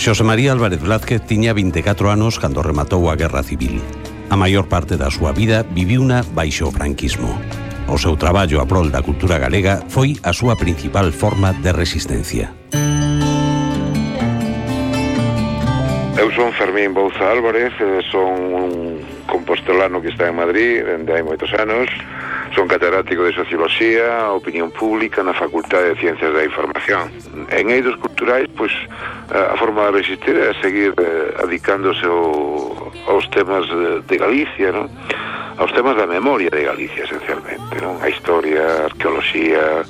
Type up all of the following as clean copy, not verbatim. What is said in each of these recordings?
Xosé María Álvarez Blázquez tiña 24 anos cando rematou a Guerra Civil. A maior parte da súa vida viviuna baixo o franquismo. O seu traballo a prol da cultura galega foi a súa principal forma de resistencia. Eu son Fermín Bouza Álvarez, son un compostelano que está en Madrid dende hai moitos anos. Son catedrático de Socioloxía, Opinión Pública na Facultade de Ciencias da Información. En eidos culturais, pois, a forma de resistir é seguir adicándose aos temas de Galicia, non? Aos temas da memoria de Galicia, esencialmente, non? A historia, a arqueoloxía,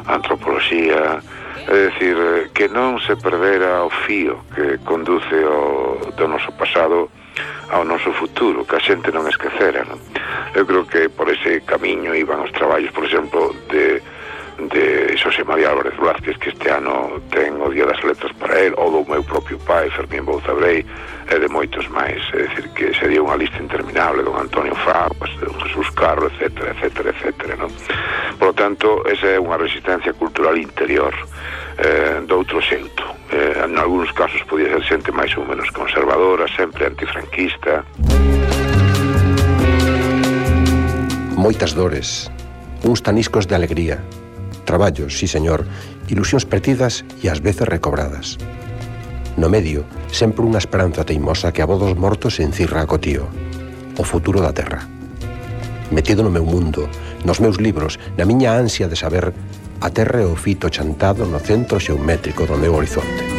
a antropoloxía, é dicir, que non se perdera o fío que conduce do noso pasado ao noso futuro, que a xente non esquecera, non? Eu creo que por ese camiño iban os traballos, por exemplo, de Xosé María Álvarez Blázquez, que este ano ten o Día das Letras para él, ou do meu propio pai, Fermín Bouza Brei, e de moitos máis. É dicir, que sería unha lista interminable, don Antonio Faguas, don Jesús Carro, etcétera, etcétera, etcétera, non? Por lo tanto, esa é unha resistencia cultural interior, de outro xeito. En algúns casos podía ser xente máis ou menos conservadora, sempre antifranquista. Moitas dores, uns taniscos de alegría, traballos, sí señor, ilusións perdidas e ás veces recobradas. No medio, sempre unha esperanza teimosa que a voz dos mortos encirra a cotío, o futuro da terra. Metido no meu mundo, nos meus libros, na miña ansia de saber, a terra é o fito chantado no centro xeométrico do meu horizonte.